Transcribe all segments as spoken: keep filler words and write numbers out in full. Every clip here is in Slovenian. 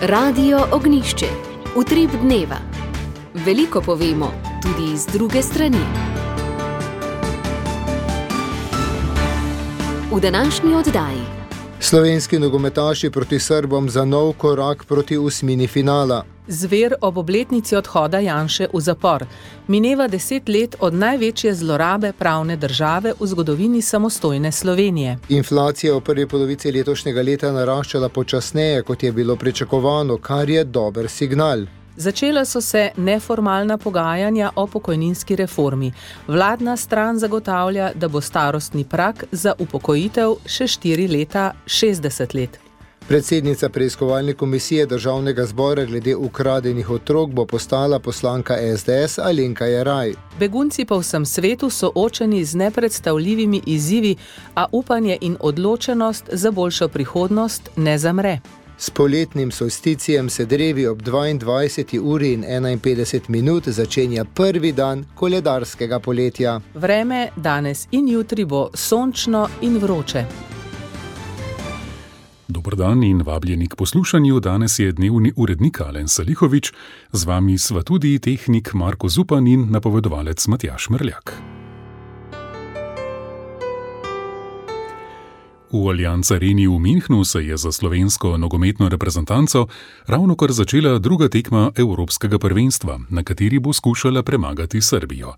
Radio Ognišče, utrip dneva. Veliko povemo, tudi z druge strani. V današnji oddaji. Slovenski nogometaši proti Srbom za nov korak proti osmini finala. Zver ob obletnici odhoda Janše v zapor. Mineva deset let od največje zlorabe pravne države v zgodovini samostojne Slovenije. Inflacija v prvi polovici letošnjega leta naraščala počasneje, kot je bilo pričakovano, kar je dober signal. Začela so se neformalna pogajanja o pokojninski reformi. Vladna stran zagotavlja, da bo starostni prag za upokojitev še štiri leta šestdeset let. Predsednica preiskovalne komisije Državnega zbora glede ukradenih otrok bo postala poslanka es de es Alenka Jeraj. Begunci po vsem svetu soočeni z nepredstavljivimi izzivi, a upanje in odločenost za boljšo prihodnost ne zamre. S poletnim solsticijem se drevi ob dvaindvajseti uri in enainpetdeset minut začenja prvi dan koledarskega poletja. Vreme danes in jutri bo sončno in vroče. Dober dan in vabljeni k poslušanju. Danes je dnevni urednik Alen Salihovič, z vami sva tudi tehnik Marko Zupan in napovedovalec Matjaž Merljak. V Allianz Areni v Münchnu se je za slovensko nogometno reprezentanco ravnokar začela druga tekma Evropskega prvenstva, na kateri bo skušala premagati Srbijo.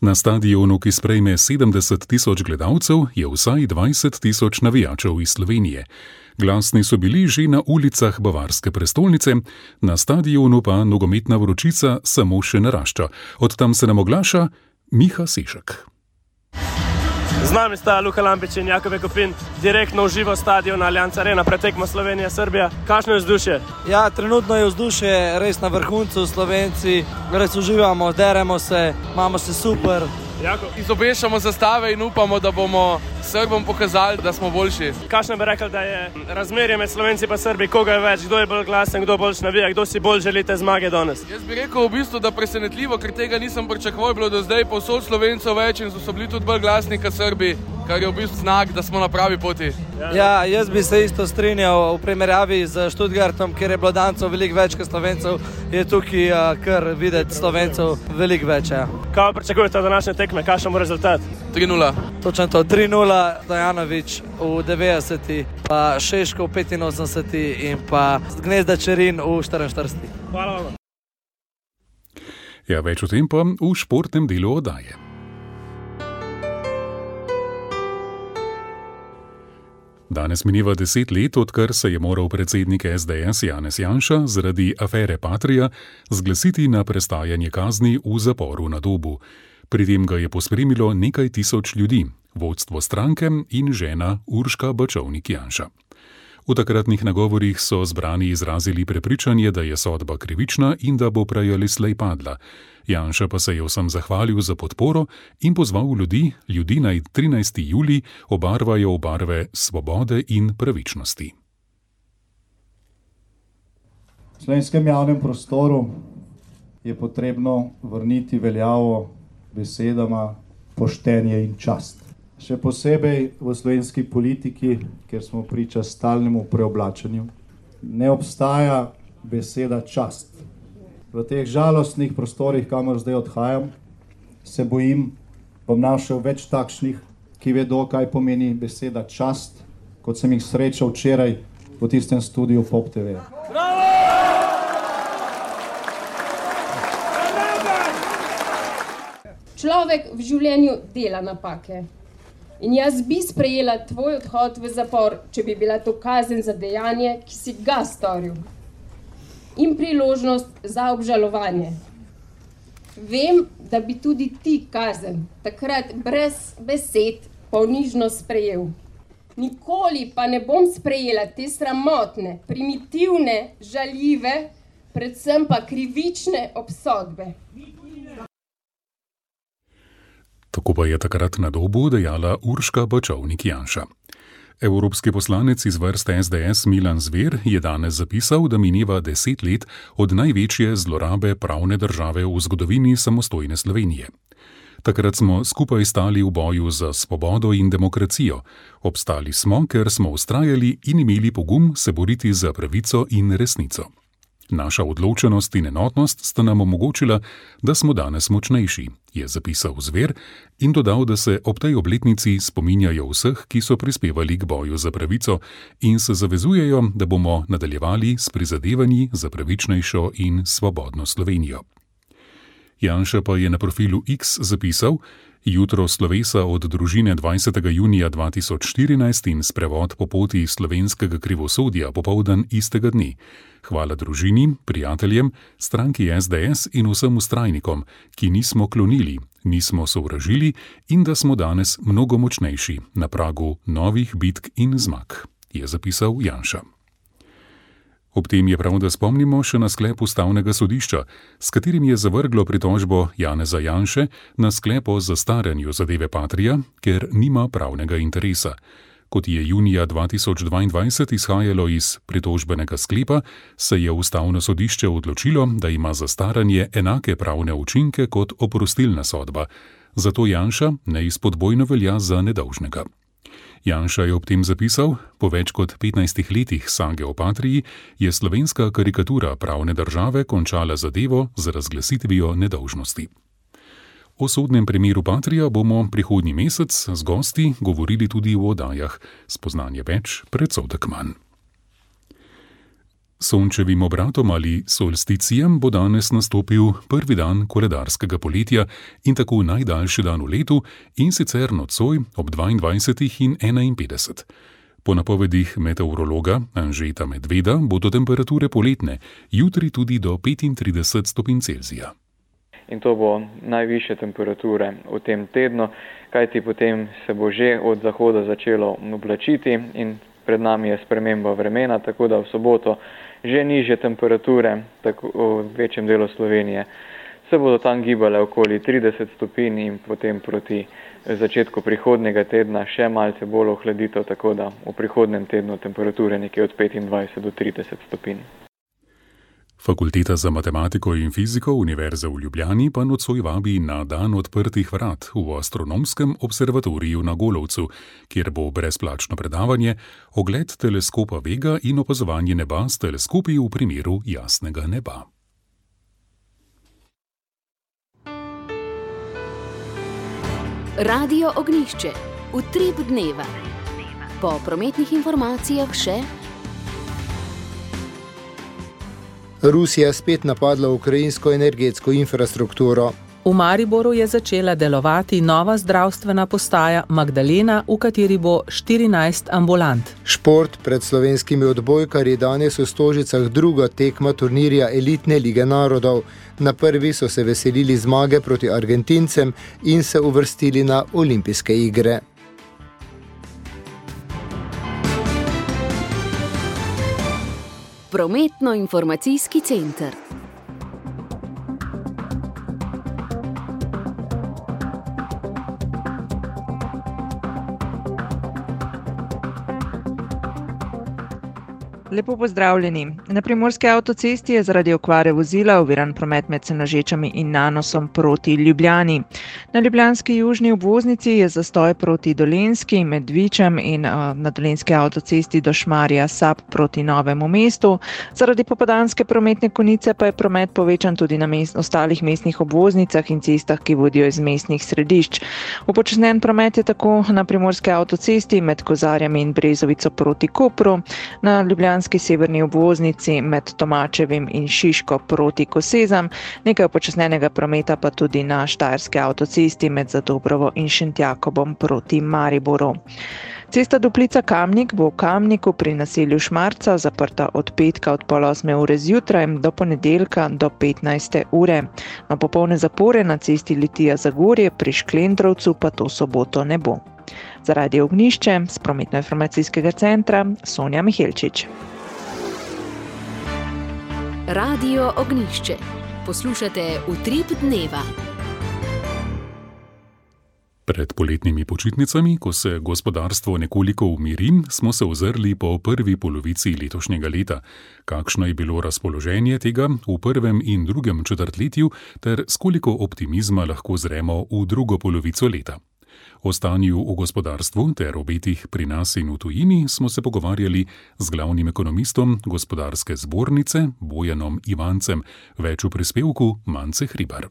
Na stadionu, ki sprejme sedemdeset tisoč gledalcev, je vsaj dvajset tisoč navijačev iz Slovenije. Glasni so bili že na ulicah bavarske prestolnice, na stadionu pa nogometna vročica samo še narašča. Od tam se nam oglaša Miha Sešek. Z nami sta Luka Lampič in Jakove Kopin, direktno v živo stadion Allianz Arena, pretekmo Slovenija-Srbija. Kakšno je vzdušje? Ja, trenutno je vzdušje res na vrhuncu. Slovenci res uživamo, deremo se, imamo se super. Jako? Izobešamo zastave in upamo, da bomo Srbom pokazali, da smo boljši. Kakšno bi rekel, da je razmerje med Slovenci pa Srbi, koga je več, kdo je bolj glasen, kdo bolj navija, kdo si bolj želite zmage danes? Jaz bi rekel v bistvu, da presenetljivo, ker tega nisem pričakoval, bilo do zdaj povsod Slovencev več in so bili tudi bolj glasni kot Srbi, kar je v bistvu znak, da smo na pravi poti. Ja, ja, jaz bi se isto strinjal v primerjavi z Stuttgartom, kjer je bilo Dancev veliko več kot Slovencev, je tukaj uh, kar videti Slovencev veliko več. Ja. Kaj pričakujete od današnje tekme, kakšen bo rezultat? tri nula. Točno to, tri nula, Dajanović v devetdeseti, pa Šeško v petinosemdeseti in pa Gnezda Čerin v štiriinštirideseti. Hvala vam. Ja, več o tem pa v športnem delu oddaje. Danes mineva deset let, odkar se je moral predsednik es de es Janez Janša zaradi afere Patria zglasiti na prestajanje kazni v zaporu na Dobu. Pri tem ga je pospremilo nekaj tisoč ljudi, vodstvo stranke in žena Urška Bačovnik-Janša. V takratnih nagovorih so zbrani izrazili prepričanje, da je sodba krivična in da bo prej ali slej padla. Janša pa se je vsem zahvalil za podporo in pozval ljudi, ljudi naj trinajsti julij obarvajo v barve svobode in pravičnosti. V slovenskem javnem prostoru je potrebno vrniti veljavo besedama poštenje in čast. Še posebej v slovenski politiki, kjer smo priča stalnemu preoblačenju, ne obstaja beseda čast. V teh žalostnih prostorih, kamor zdaj odhajam, se bojim, bom našel več takšnih, ki vedo, kaj pomeni beseda čast, kot sem jih srečal včeraj v tistem studiu Pop te ve. Človek v življenju dela napake. In jaz bi sprejela tvoj odhod v zapor, če bi bila to kazen za dejanje, ki si ga storil. In priložnost za obžalovanje. Vem, da bi tudi ti kazen takrat brez besed ponižno sprejel. Nikoli pa ne bom sprejela te sramotne, primitivne, žaljive, predvsem pa krivične obsodbe. Tako pa je takrat na Dobu dejala Urška Bačovnik-Janša. Evropski poslanec iz vrst es de es Milan Zver je danes zapisal, da mineva deset let od največje zlorabe pravne države v zgodovini samostojne Slovenije. Takrat smo skupaj stali v boju za svobodo in demokracijo. Obstali smo, ker smo vztrajali in imeli pogum se boriti za pravico in resnico. Naša odločenost in enotnost sta nam omogočila, da smo danes močnejši, je zapisal Zver in dodal, da se ob tej obletnici spominjajo vseh, ki so prispevali k boju za pravico in se zavezujejo, da bomo nadaljevali s prizadevanji za pravičnejšo in svobodno Slovenijo. Janša pa je na profilu X zapisal: jutro slovesa od družine dvajsetega junija dva tisoč štirinajst in sprevod po poti slovenskega krivosodja popoldan istega dne. Hvala družini, prijateljem, stranki S D S in vsem vztrajnikom, ki nismo klonili, nismo sovražili in da smo danes mnogo močnejši na pragu novih bitk in zmag, je zapisal Janša. Ob tem je prav, da spomnimo še na sklep Ustavnega sodišča, s katerim je zavrglo pritožbo Janeza Janše na sklep o zastaranju zadeve Patria, ker nima pravnega interesa. Kot je junija dva tisoč dvaindvajset izhajalo iz pritožbenega sklepa, se je Ustavno sodišče odločilo, da ima zastaranje enake pravne učinke kot oprostilna sodba, zato Janša neizpodbojno velja za nedolžnega. Janša je ob tem zapisal: po več kot petnajstih letih sage o Patriji je slovenska karikatura pravne države končala zadevo z razglasitvijo nedolžnosti. O sodnem primeru Patrija bomo prihodnji mesec z gosti govorili tudi v oddajah Spoznanje več, predsodek manj. Sončevim obratom ali solsticijem bo danes nastopil prvi dan koledarskega poletja in tako najdaljši dan v letu, in sicer nocoj ob dvaindvajsetih in enainpetdeset. Po napovedih meteorologa Anžeta Medveda bodo temperature poletne, jutri tudi do petintrideset stopinj Celzija. In to bo najvišje temperature v tem tednu, kajti potem se bo že od zahoda začelo oblačiti in pred nami je sprememba vremena, tako da v soboto že nižje temperature, tako v večjem delu Slovenije, se bodo tam gibale okoli trideset stopinj in potem proti začetku prihodnjega tedna še malce bolj ohladitev, tako da v prihodnjem tednu temperature nekje od petindvajset do trideset stopinj. Fakulteta za matematiko in fiziko Univerze v Ljubljani pa nocoj vabi na dan odprtih vrat v astronomskem observatoriju na Golovcu, kjer bo brezplačno predavanje, ogled teleskopa Vega in opazovanje neba s teleskopi v primeru jasnega neba. Radio Ognjišče. Utrip dneva. Po prometnih informacijah še: Rusija spet napadla ukrajinsko energetsko infrastrukturo. V Mariboru je začela delovati nova zdravstvena postaja Magdalena, v kateri bo štirinajst ambulant. Šport. Pred slovenskimi odbojkarji danes v Stožicah druga tekma turnirja Elitne lige narodov. Na prvi so se veselili zmage proti Argentincem in se uvrstili na olimpijske igre. Prometno-informacijski center. Lepo pozdravljeni. Na primorski avtocesti je zaradi okvare vozila oviran promet med Senožečami in Nanosom proti Ljubljani. Na ljubljanski južni obvoznici je zastoj proti Dolenjski med Vičem in uh, na dolenjski avtocesti do Šmarja Sap proti Novemu mestu. Zaradi popoldanske prometne konice pa je promet povečan tudi na mest, ostalih mestnih obvoznicah in cestah, ki vodijo iz mestnih središč. Upočasnjen promet je tako na primorski avtocesti med Kozarjami in Brezovico proti Kopru, na ljubljanski severni obvoznici med Tomačevim in Šiško proti Kosezam, nekaj upočasnjenega prometa pa tudi na štajerski avtocesti med Zadobrovo in Šentjakobom proti Mariboru. Cesta Duplica-Kamnik bo v Kamniku pri naselju Šmarca zaprta od petka od pol osme ure zjutraj do ponedeljka do petnajste ure. Na popolne zapore na cesti Litija-Zagorje pri Šklendrovcu pa to soboto ne bo. Za Radio Ognjišče z prometno-informacijskega centra Sonja Mihelčič. Radio Ognjišče. Poslušate Utrip dneva. Pred poletnimi počitnicami, ko se gospodarstvo nekoliko umiri, smo se ozrli po prvi polovici letošnjega leta. Kakšno je bilo razpoloženje tega v prvem in drugem četrtletju ter s koliko optimizma lahko zremo v drugo polovico leta? O stanju v gospodarstvu ter obetih pri nas in v tujini smo se pogovarjali z glavnim ekonomistom Gospodarske zbornice Bojanom Ivancem, več v prispevku Mance Hribar.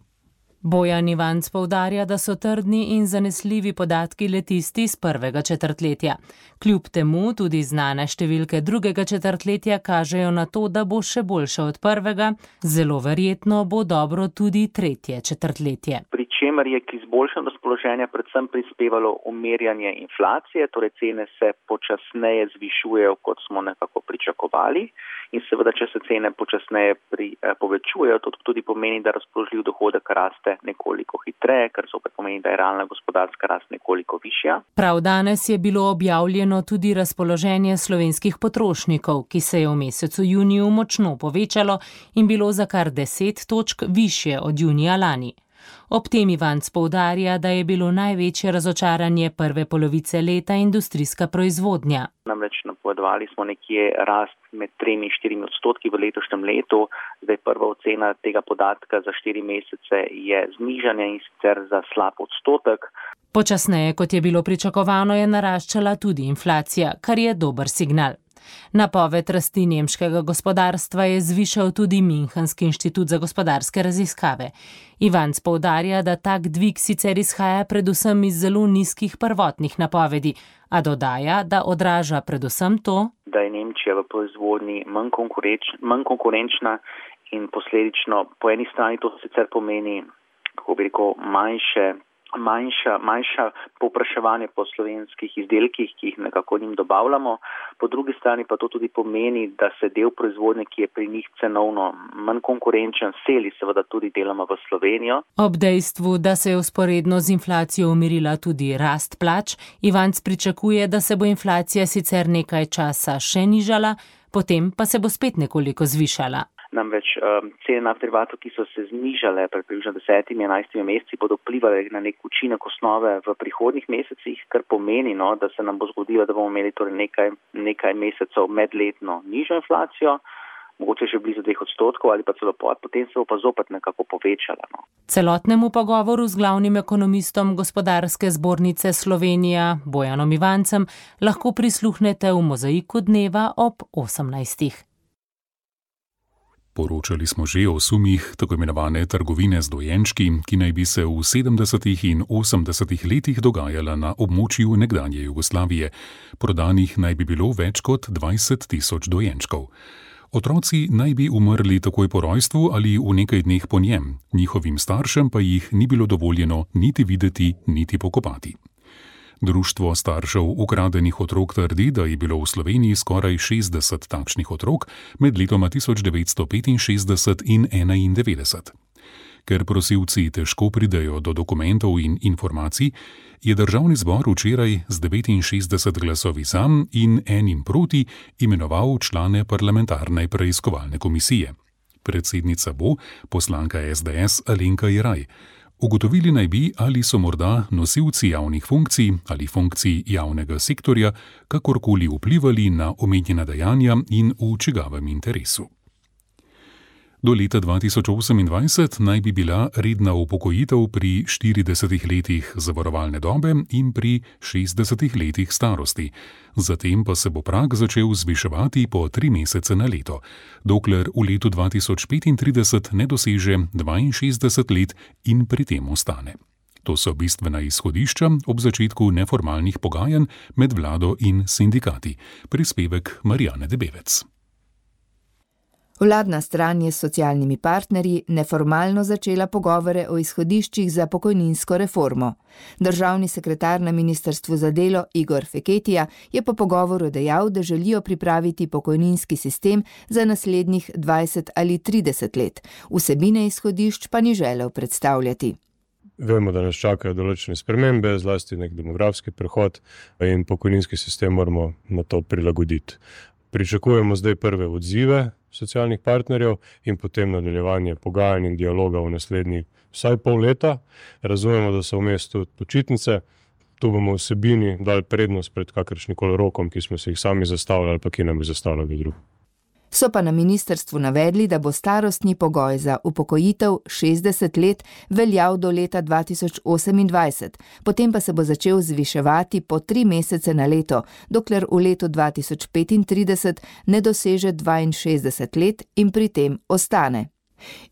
Bojan Ivanc poudarja, da so trdni in zanesljivi podatki le tisti iz prvega četrtletja. Kljub temu tudi znane številke drugega četrtletja kažejo na to, da bo še boljše od prvega, zelo verjetno bo dobro tudi tretje četrtletje. Pri čemer je k izboljšanju razpoloženja predvsem prispevalo umirjanje inflacije, torej cene se počasneje zvišujejo, kot smo nekako pričakovali. In seveda, če se cene počasneje pri, eh, povečujejo, to tudi pomeni, da razpoložljiv dohodek raste nekoliko hitreje, kar zopet pomeni, da je realna gospodarska rast nekoliko višja. Prav danes je bilo objavljeno tudi razpoloženje slovenskih potrošnikov, ki se je v mesecu juniju močno povečalo in bilo za kar deset točk višje od junija lani. Ob tem Ivanc poudarja, da je bilo največje razočaranje prve polovice leta industrijska proizvodnja. Namreč napovedovali smo nekje rast med tremi in štirimi odstotki v letošnjem letu. Zdaj prva ocena tega podatka za štiri mesece je znižanje in sicer za slab odstotek. Počasneje, kot je bilo pričakovano, je naraščala tudi inflacija, kar je dober signal. Napoved rasti nemškega gospodarstva je zvišal tudi Münchenski inštitut za gospodarske raziskave. Ivanc poudarja, da tak dvig sicer izhaja predvsem iz zelo nizkih prvotnih napovedi, a dodaja, da odraža predvsem to, da je Nemčija v proizvodnji manj, konkurenč, manj konkurenčna in posledično po eni strani to sicer pomeni, kako bi rekel, manjše Manjša, manjša povpraševanje po slovenskih izdelkih, ki jih nekako njim dobavljamo. Po drugi strani pa to tudi pomeni, da se del proizvodnje, ki je pri njih cenovno manj konkurenčen, seli seveda tudi deloma v Slovenijo. Ob dejstvu, da se je vzporedno z inflacijo umirila tudi rast plač, Ivanc pričakuje, da se bo inflacija sicer nekaj časa še nižala, potem pa se bo spet nekoliko zvišala. Namreč um, cene naftnih derivatov, ki so se znižale pred približno desetimi, enajstimi meseci, bodo vplivali na nek učinek osnove v prihodnjih mesecih, kar pomeni, no, da se nam bo zgodilo, da bomo imeli torej nekaj, nekaj mesecev medletno nižjo inflacijo, mogoče še blizu dveh odstotkov ali pa celo pod, potem se bo pa zopet nekako povečala. No. Celotnemu pogovoru z glavnim ekonomistom Gospodarske zbornice Slovenija Bojanom Ivancem lahko prisluhnete v Mozaiku dneva ob osemnajstih. Poročali smo že o sumih tako imenovane trgovine z dojenčki, ki naj bi se v sedemdesetih in osemdesetih letih dogajala na območju nekdanje Jugoslavije. Prodanih naj bi bilo več kot dvajset tisoč dojenčkov. Otroci naj bi umrli takoj po rojstvu ali v nekaj dneh po njem, njihovim staršem pa jih ni bilo dovoljeno niti videti, niti pokopati. Društvo staršev ukradenih otrok trdi, da je bilo v Sloveniji skoraj šestdeset takšnih otrok med letoma tisoč devetsto petinšestdeset in enaindevetdeset. Ker prosilci težko pridejo do dokumentov in informacij, je Državni zbor včeraj z devetinšestdeset glasovi za in enim proti imenoval člane parlamentarne preiskovalne komisije. Predsednica bo poslanka es de es Alenka Jeraj. Ugotovili naj bi, ali so morda nosilci javnih funkcij ali funkcij javnega sektorja kakorkoli vplivali na omenjena dejanja in v čigavem interesu. Do leta dva tisoč osemindvajset naj bi bila redna upokojitev pri štiridesetih letih zavarovalne dobe in pri šestdesetih letih starosti. Zatem pa se bo prag začel zviševati po tri mesece na leto, dokler v letu dva tisoč petintrideset ne doseže dvainšestdeset let in pri tem ostane. To so bistvena izhodišča ob začetku neformalnih pogajanj med vlado in sindikati. Prispevek Marijane Debevec. Vladna stran je s socialnimi partnerji neformalno začela pogovore o izhodiščih za pokojninsko reformo. Državni sekretar na Ministrstvu za delo Igor Feketija je po pogovoru dejal, da želijo pripraviti pokojninski sistem za naslednjih dvajset ali trideset let. Vsebine izhodišč pa ni želel predstavljati. Vemo, da nas čakajo določene spremembe, zlasti nek demografski prehod in pokojninski sistem moramo na to prilagoditi. Pričakujemo zdaj prve odzive socialnih partnerjev in potem nadaljevanje pogajanj in dialoga v naslednjih vsaj pol leta. Razumemo, da so vmes tudi počitnice. Tu bomo vsebini dali prednost pred kakršnikoli rokom, ki smo se jih sami zastavljali ali pa ki nam je zastavljali drugi. So pa na ministrstvu navedli, da bo starostni pogoj za upokojitev šestdeset let veljal do leta dva tisoč osemindvajset, potem pa se bo začel zviševati po tri mesece na leto, dokler v letu dva tisoč petintrideset ne doseže dvainšestdeset let in pri tem ostane.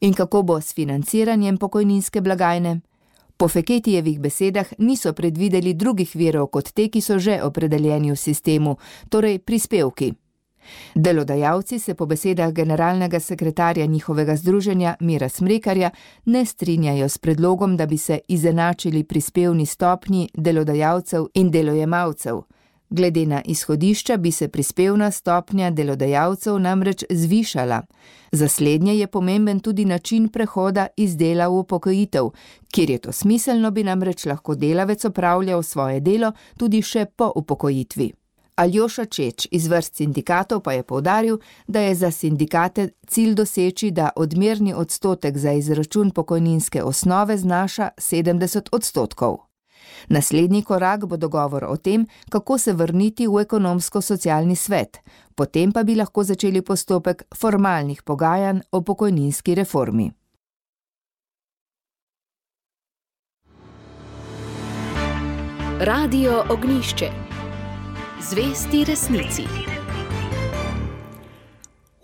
In kako bo s financiranjem pokojninske blagajne? Po Feketijevih besedah niso predvideli drugih virov kot te, ki so že opredeljeni v sistemu, torej prispevki. Delodajalci se po besedah generalnega sekretarja njihovega združenja Mira Smrekarja ne strinjajo s predlogom, da bi se izenačili prispevni stopnji delodajalcev in delojemalcev. Glede na izhodišča bi se prispevna stopnja delodajalcev namreč zvišala. Za slednje je pomemben tudi način prehoda iz dela v upokojitev, kjer je to smiselno, bi namreč lahko delavec opravljal svoje delo tudi še po upokojitvi. Aljoša Čeč iz vrst sindikatov pa je poudaril, da je za sindikate cilj doseči, da odmerni odstotek za izračun pokojninske osnove znaša sedemdeset odstotkov. Naslednji korak bo dogovor o tem, kako se vrniti v ekonomsko-socialni svet, potem pa bi lahko začeli postopek formalnih pogajanj o pokojninski reformi. Radio Ognjišče. Zvesti resnici.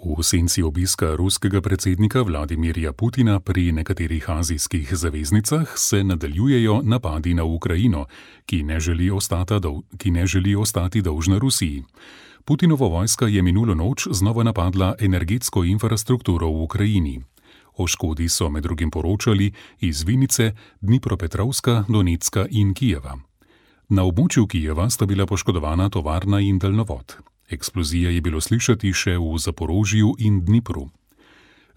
V senci obiska ruskega predsednika Vladimirja Putina pri nekaterih azijskih zaveznicah se nadaljujejo napadi na Ukrajino, ki ne želi ostati, dol, ki ne želi ostati dolžna Rusiji. Putinova vojska je minulo noč znova napadla energetsko infrastrukturo v Ukrajini. O škodi so med drugim poročali iz Vinice, Dnipropetrovska, Donetska in Kijeva. Na območju Kijeva sta bila poškodovana tovarna in daljnovod. Eksplozija je bilo slišati še v Zaporožju in Dnipru.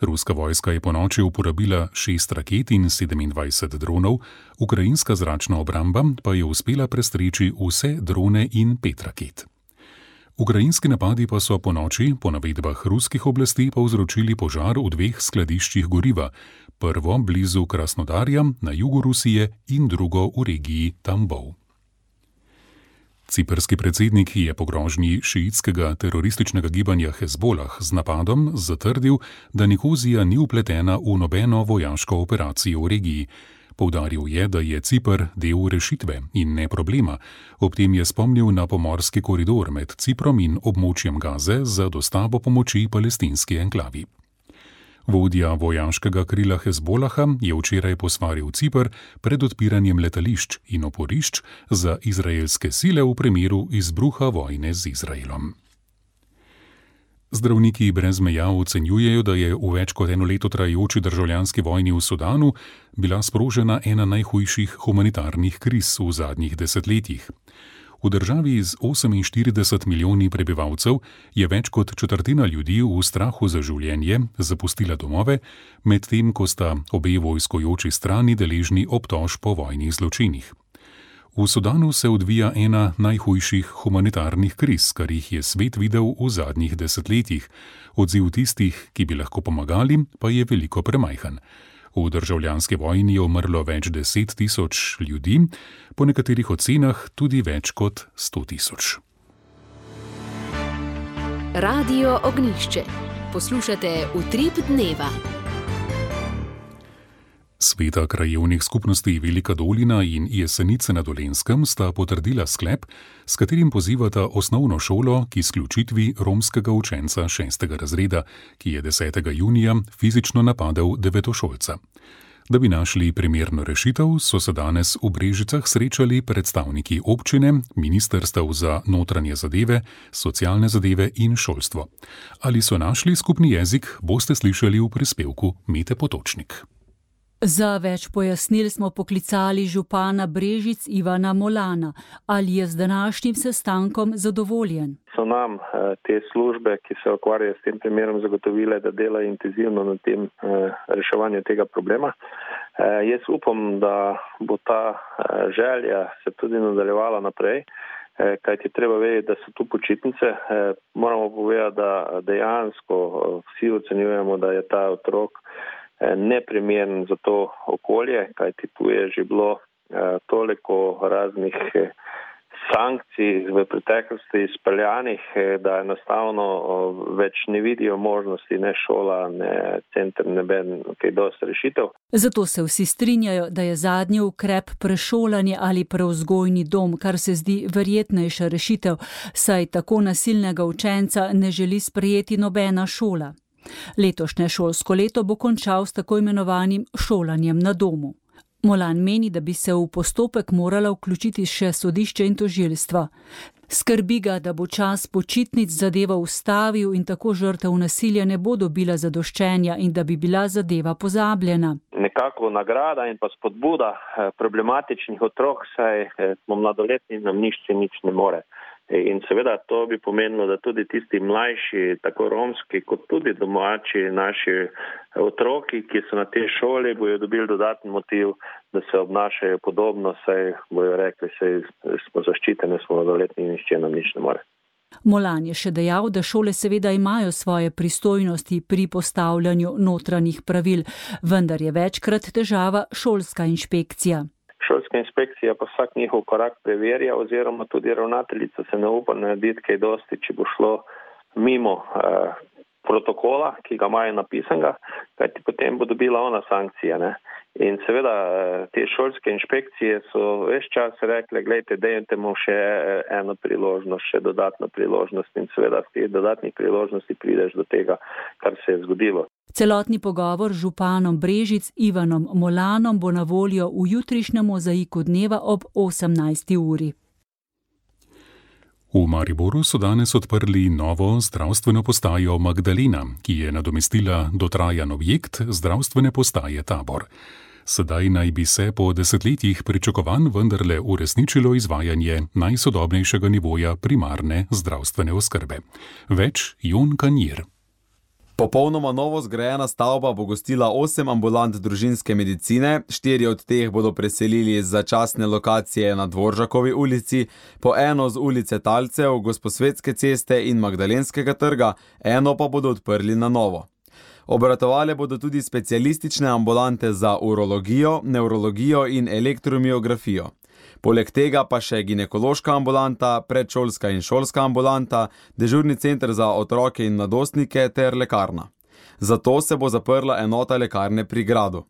Ruska vojska je ponoči uporabila šest raket in sedemindvajset dronov, ukrajinska zračna obramba pa je uspela prestreči vse drone in pet raket. Ukrajinski napadi pa so ponoči, po navedbah ruskih oblasti, povzročili požar v dveh skladiščih goriva, prvo blizu Krasnodarja na jugu Rusije in drugo v regiji Tambov. Ciprski predsednik je po grožnji šiitskega terorističnega gibanja Hezbolah z napadom zatrdil, da Nikozija ni vpletena v nobeno vojaško operacijo v regiji. Poudaril je, da je Cipr del rešitve in ne problema. Ob tem je spomnil na pomorski koridor med Ciprom in območjem Gaze za dostavo pomoči palestinski enklavi. Vodja vojaškega krila Hezbolaha je včeraj posvaril Cipr pred odpiranjem letališč in oporišč za izraelske sile v primeru izbruha vojne z Izraelom. Zdravniki brez meja ocenjujejo, da je v več kot eno leto trajajoči državljanski vojni v Sudanu bila sprožena ena najhujših humanitarnih kriz v zadnjih desetletjih. V državi z oseminštirideset milijoni prebivalcev je več kot četrtina ljudi v strahu za življenje zapustila domove, medtem ko sta obe vojskojoči strani deležni obtožb po vojnih zločinih. V Sudanu se odvija ena najhujših humanitarnih kriz, kar jih je svet videl v zadnjih desetletjih. Odziv tistih, ki bi lahko pomagali, pa je veliko premajhen. V državljanski vojni je umrlo več deset tisoč ljudi, po nekaterih ocenah tudi več kot sto tisoč. Radio Ognjišče. Poslušate Utrip dneva. Sveta krajevnih skupnosti Velika Dolina in Jesenice na Dolenjskem sta potrdila sklep, s katerim pozivata osnovno šolo k izključitvi romskega učenca šestega razreda, ki je desetega junija fizično napadel devetošolca. Da bi našli primerno rešitev, so se danes v Brežicah srečali predstavniki občine, ministrstev za notranje zadeve, socialne zadeve in šolstvo. Ali so našli skupni jezik, boste slišali v prispevku Mete Potočnik. Za več pojasnil smo poklicali župana Brežic Ivana Molana. Ali je z današnjim sestankom zadovoljen? So nam te službe, ki se ukvarjajo s tem primerom, zagotovile, da delajo intenzivno na tem reševanju tega problema. Jaz upam, da bo ta želja se tudi nadaljevala naprej kajti treba vedeti, da so tu počitnice. Moramo povedati, da dejansko vsi ocenjujemo, da je ta otrok neprimeren za to okolje, kajti tu je že bilo toliko raznih sankcij v preteklosti izpeljanih, da enostavno več ne vidijo možnosti ne šola, ne center, ne ben, kaj dosti rešitev. Zato se vsi strinjajo, da je zadnji ukrep prešolanje ali prevzgojni dom, kar se zdi verjetnejša rešitev, saj tako nasilnega učenca ne želi sprejeti nobena šola. Letošnje šolsko leto bo končal s tako imenovanim šolanjem na domu. Molan meni, da bi se v postopek morala vključiti še sodišče in tožilstvo. Skrbi ga, da bo čas počitnic zadeva ustavil in tako žrtev nasilja ne bo dobila zadoščenja in da bi bila zadeva pozabljena. Nekako nagrada in pa spodbuda problematičnih otrok, saj smo mladoletni, nam nišče nič ne more. In seveda to bi pomenilo, da tudi tisti mlajši, tako romski, kot tudi domači naši otroki, ki so na tej šoli, bojo dobili dodatni motiv, da se obnašajo podobno, saj bojo rekli, saj smo zaščiteni, smo mladoletni in nišče nam nič ne more. Molan je še dejal, da šole seveda imajo svoje pristojnosti pri postavljanju notranjih pravil, vendar je večkrat težava šolska inšpekcija. Šolska inšpekcija pa vsak njihov korak preverja oziroma tudi ravnateljica se ne upa narediti kaj dosti, če bo šlo mimo eh, protokola, ki ga imajo napisanega, kajti potem bo dobila ona sankcija. Ne? In seveda te šolske inšpekcije so ves čas rekle, gledajte, dajte mu še eno priložnost, še dodatno priložnost in seveda z teh dodatnih priložnosti prideš do tega, kar se je zgodilo. Celotni pogovor z županom Brežic Ivanom Molanom bo na voljo v jutrišnjem mozaiku dneva ob osemnajsti uri. V Mariboru so danes odprli novo zdravstveno postajo Magdalena, ki je nadomestila dotrajan objekt zdravstvene postaje Tabor. Sedaj naj bi se po desetletjih pričakovanj vendarle uresničilo izvajanje najsodobnejšega nivoja primarne zdravstvene oskrbe. Več Jon Kanjir. Popolnoma novo zgrajena stavba bo gostila osem ambulant družinske medicine, štiri od teh bodo preselili z začasne lokacije na Dvoržakovi ulici, po eno z ulice Talcev, Gosposvetske ceste in Magdalenskega trga, eno pa bodo odprli na novo. Obratovale bodo tudi specialistične ambulante za urologijo, nevrologijo in elektromiografijo. Poleg tega pa še ginekološka ambulanta, predšolska in šolska ambulanta, dežurni center za otroke in mladostnike ter lekarna. Zato se bo zaprla enota lekarne pri gradu.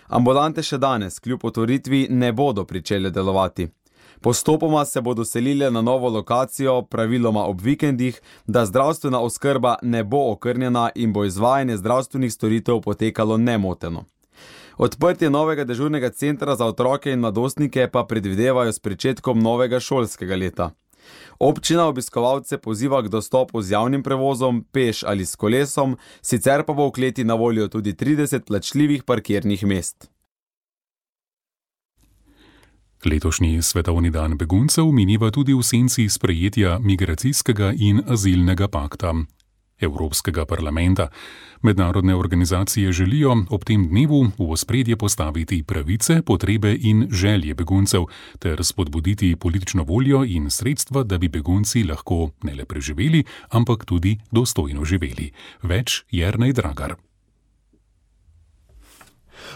Ambulante še danes, kljub otvoritvi, ne bodo pričele delovati. Postopoma se bodo selile na novo lokacijo, praviloma ob vikendih, da zdravstvena oskrba ne bo okrnjena in bo izvajanje zdravstvenih storitev potekalo nemoteno. Odprtje novega dežurnega centra za otroke in mladostnike pa predvidevajo s pričetkom novega šolskega leta. Občina obiskovalce poziva k dostopu z javnim prevozom, peš ali s kolesom, sicer pa bo v kleti na voljo tudi trideset plačljivih parkirnih mest. Letošnji svetovni dan beguncev mineva tudi v senci sprejetja migracijskega in azilnega pakta Evropskega parlamenta. Mednarodne organizacije želijo ob tem dnevu v ospredje postaviti pravice, potrebe in želje beguncev ter spodbuditi politično voljo in sredstva, da bi begunci lahko ne le preživeli, ampak tudi dostojno živeli. Več Jernej Dragar.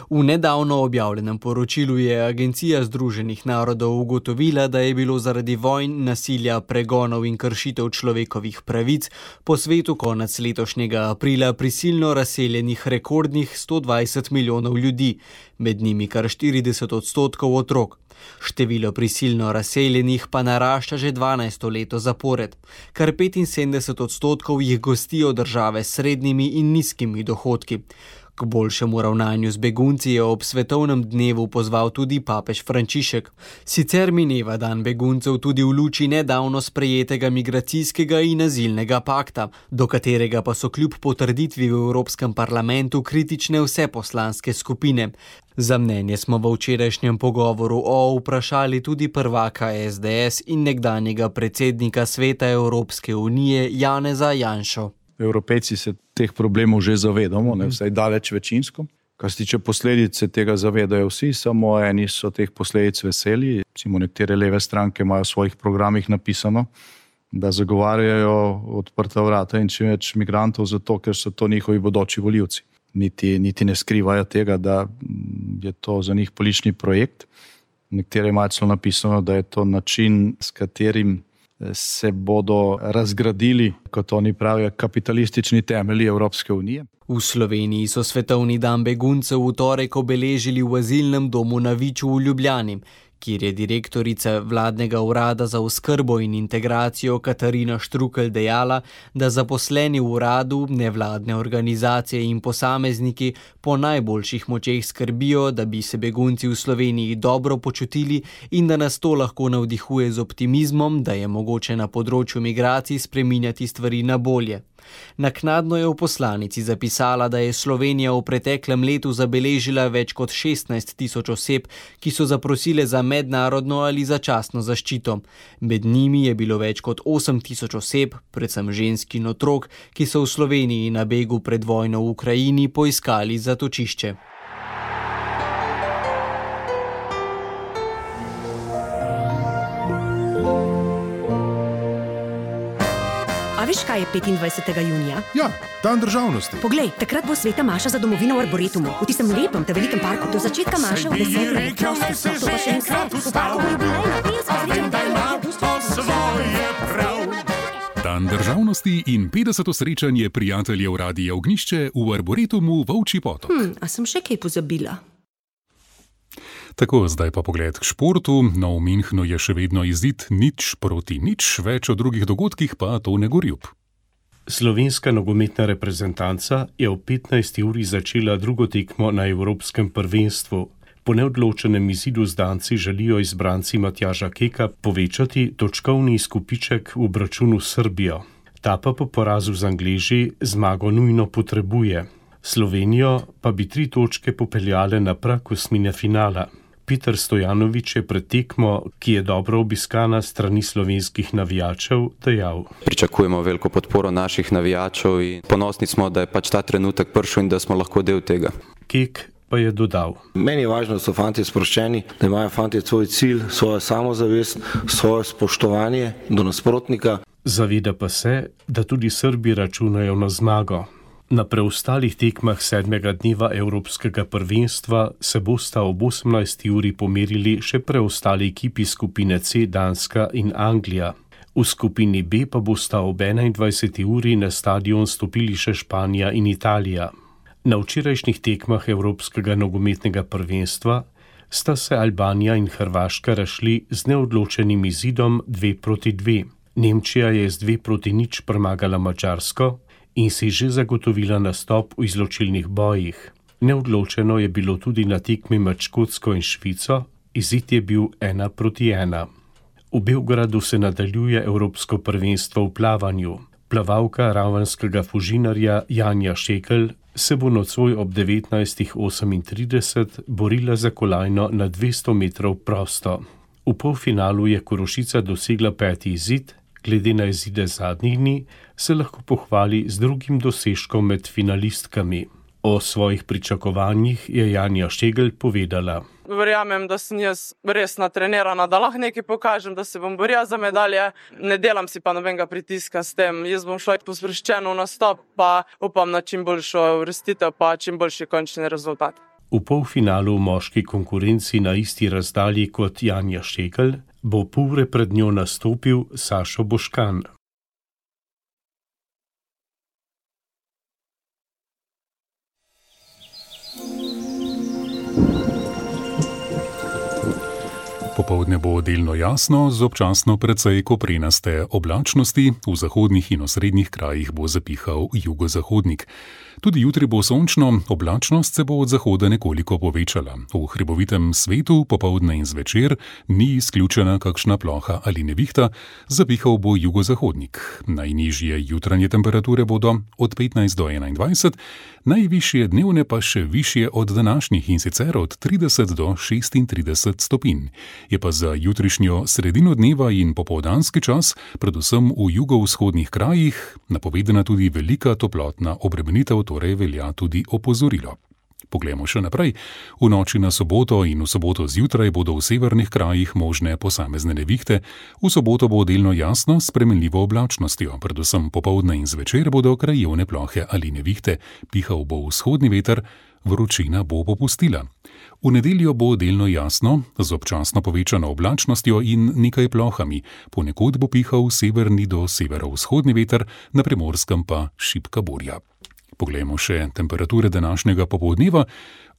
V nedavno objavljenem poročilu je Agencija Združenih narodov ugotovila, da je bilo zaradi vojn, nasilja, pregonov in kršitev človekovih pravic po svetu konec letošnjega aprila prisilno razseljenih rekordnih sto dvajset milijonov ljudi, med njimi kar štirideset odstotkov otrok. Število prisilno razseljenih pa narašča že dvanajsto leto zapored. Kar petinsedemdeset odstotkov jih gostijo države s srednjimi in nizkimi dohodki. K boljšemu ravnanju z begunci je ob svetovnem dnevu pozval tudi papež Frančišek. Sicer mineva dan beguncev tudi v luči nedavno sprejetega migracijskega in azilnega pakta, do katerega pa so kljub potrditvi v Evropskem parlamentu kritične vse poslanske skupine. Za mnenje smo v včerajšnjem pogovoru o vprašali tudi prvaka es de es in nekdanjega predsednika Sveta Evropske unije Janeza Janšo. Evropejci se teh problemov že zavedamo, ne, vsaj daleč večinsko. Kar se tiče posledice, tega zavedajo vsi, samo eni so teh posledic veseli. Recimo nekatere leve stranke imajo v svojih programih napisano, da zagovarjajo odprta vrata in čim več migrantov zato, ker so to njihovi bodoči volivci. Niti, niti ne skrivajo tega, da je to za njih politični projekt. Nekatere imajo celo napisano, da je to način, s katerim se bodo razgradili, kot oni pravijo, kapitalistični temelji Evropske unije. V Sloveniji so svetovni dan beguncev v torek obeležili v azilnem domu na Viču v Ljubljani, kjer je direktorica vladnega urada za oskrbo in integracijo Katarina Štrukelj dejala, da zaposleni v uradu, nevladne organizacije in posamezniki po najboljših močeh skrbijo, da bi se begunci v Sloveniji dobro počutili in da nas to lahko navdihuje z optimizmom, da je mogoče na področju migracij spreminjati stvari na bolje. Naknadno je v poslanici zapisala, da je Slovenija v preteklem letu zabeležila več kot šestnajst tisoč oseb, ki so zaprosile za mednarodno ali začasno zaščito. Med njimi je bilo več kot osem tisoč oseb, predvsem žensk in otrok, ki so v Sloveniji na begu pred vojno v Ukrajini poiskali zatočišče. Veš, kaj je petindvajsetega junija? Ja, dan državnosti. Poglej, takrat bo Sveta Maša za domovino v Arboretumu, v tistem lepem, te velikem parku. Do začetka Maša v desetih. Rekel, naj se že enkrat v parku, a vem, da ima to svoje prav. Dan državnosti in petdeseto srečanje prijateljev Radia Ognjišče v Arboretumu Volčji Potok. Hm, a sem še kaj pozabila? Tako, zdaj pa pogled k športu. No, v Münchnu je še vedno izid nič proti nič, več o drugih dogodkih pa to ne gorjub. Slovenska nogometna reprezentanca je ob petnajsti uri začela drugo tekmo na Evropskem prvenstvu. Po neodločenem izidu z Danci želijo izbranci Matjaža Keka povečati točkovni izkupiček v obračunu s Srbijo. Ta pa po porazu z Angleži zmago nujno potrebuje. Slovenijo pa bi tri točke popeljale na prag osmine finala. Peter Stojanović je pred tekmo, ki je dobro obiskana strani slovenskih navijačev, dejal: Pričakujemo veliko podporo naših navijačev in ponosni smo, da je pač ta trenutek prišel in da smo lahko del tega. Kek pa je dodal: Meni je važno, da so fantje sproščeni, da imajo fantje svoj cilj, svojo samozavest, svoje spoštovanje do nasprotnika. Zaveda pa se, da tudi Srbi računajo na zmago. Na preostalih tekmah sedmega dneva Evropskega prvenstva se bosta ob osemnajsti uri pomerili še preostali ekipi skupine C, Danska in Anglija. V skupini B pa bosta ob enaindvajseti uri na stadion stopili še Španija in Italija. Na včerajšnjih tekmah Evropskega nogometnega prvenstva sta se Albanija in Hrvaška razšli z neodločenim izidom dve proti dve. Nemčija je z dve proti nič premagala Madžarsko in si že zagotovila nastop v izločilnih bojih. Neodločeno je bilo tudi na tekmi med Škotsko in Švico, izid je bil ena proti ena. V Beogradu se nadaljuje Evropsko prvenstvo v plavanju. Plavalka ravenskega Fužinarja Janja Šekelj se bo nocoj ob devetnajstih osemintrideset borila za kolajno na dvesto metrov prosto. V polfinalu je Korošica dosegla peti izid, glede na izide zadnjih dni se lahko pohvali z drugim dosežkom med finalistkami. O svojih pričakovanjih je Janja Šekelj povedala: Verjamem, da sem jaz res natrenirana, da lahko nekaj pokažem, da se bom borila za medalje. Ne delam si pa nobenega pritiska s tem. Jaz bom šla pospreščeno v nastop, pa upam na čim boljšo uvrstitev, pa čim boljši končni rezultat. V polfinalu v moški konkurenci na isti razdalji kot Janja Šekelj bo pol ure pred njo nastopil Sašo Boškan. Popoldne bo delno jasno, z občasno precej koprenaste oblačnosti, v zahodnih in osrednjih krajih bo zapihal jugozahodnik. Tudi jutri bo sončno, oblačnost se bo od zahoda nekoliko povečala. V hribovitem svetu popoldne in zvečer ni izključena kakšna ploha ali nevihta, zapihal bo jugozahodnik. Najnižje jutranje temperature bodo od petnajst do enaindvajset, najvišje dnevne pa še višje od današnjih in sicer od trideset do šestintrideset stopinj. Je pa za jutrišnjo sredino dneva in popoldanski čas, predvsem v jugovzhodnih krajih, napovedana tudi velika toplotna obremenitev, torej velja tudi opozorilo. Poglejmo še naprej. V noči na soboto in v soboto zjutraj bodo v severnih krajih možne posamezne nevihte. V soboto bo delno jasno s spremenljivo oblačnostjo, predvsem popoldne in zvečer bodo krajevne plohe ali nevihte, pihal bo vzhodni veter, vročina bo popustila. V nedeljo bo delno jasno, z občasno povečano oblačnostjo in nekaj plohami. Ponekod bo pihal severni do severovzhodni veter, na Primorskem pa šibka burja. Poglejmo še temperature današnjega popoldneva.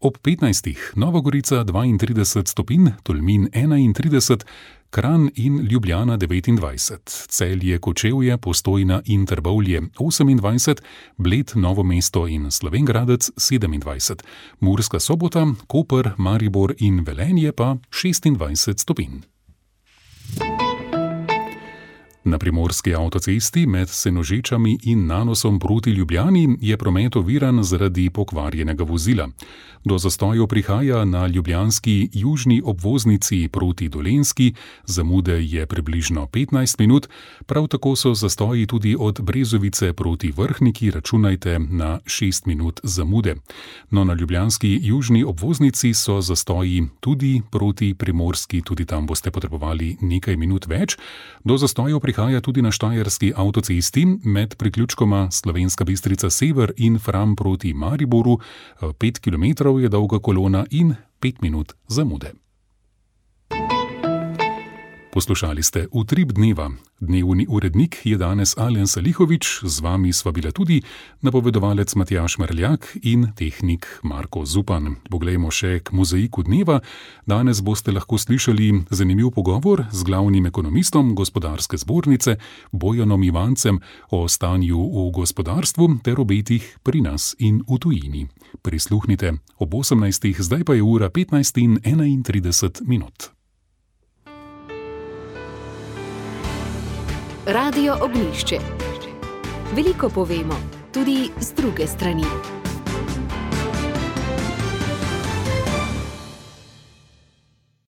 Ob petnajstih Nova Gorica dvaintrideset stopinj, Tolmin enaintrideset, Kranj in Ljubljana devetindvajset, Celje, Kočevje, Postojna in Trbovlje osemindvajset, Bled, Novo mesto in Slovenj Gradec sedemindvajset, Murska Sobota, Koper, Maribor in Velenje pa šestindvajset stopinj. Na primorski avtocesti med Senožečami in Nanosom proti Ljubljani je promet oviran zaradi pokvarjenega vozila. Do zastojev prihaja na ljubljanski južni obvoznici proti Dolenjski, zamude je približno petnajst minut, prav tako so zastoji tudi od Brezovice proti Vrhniki, računajte na šest minut zamude. No, na ljubljanski južni obvoznici so zastoji tudi proti Primorski, tudi tam boste potrebovali nekaj minut več. Do zastojev prihaja tudi na štajerski avtocesti med priključkoma Slovenska Bistrica Sever in Fram proti Mariboru, pet kilometrov je dolga kolona in pet minut zamude. Poslušali ste Utrip dneva. Dnevni urednik je danes Alen Salihovič, z vami sva bila tudi napovedovalec Matjaž Merljak in tehnik Marko Zupan. Poglejmo še k mozaiku dneva. Danes boste lahko slišali zanimiv pogovor z glavnim ekonomistom Gospodarske zbornice Bojanom Ivancem o stanju v gospodarstvu ter obetih pri nas in v tujini. Prisluhnite ob osemnajstih, zdaj pa je ura petnajst in enaintrideset minut. Radio Ognjišče. Veliko povemo, tudi z druge strani.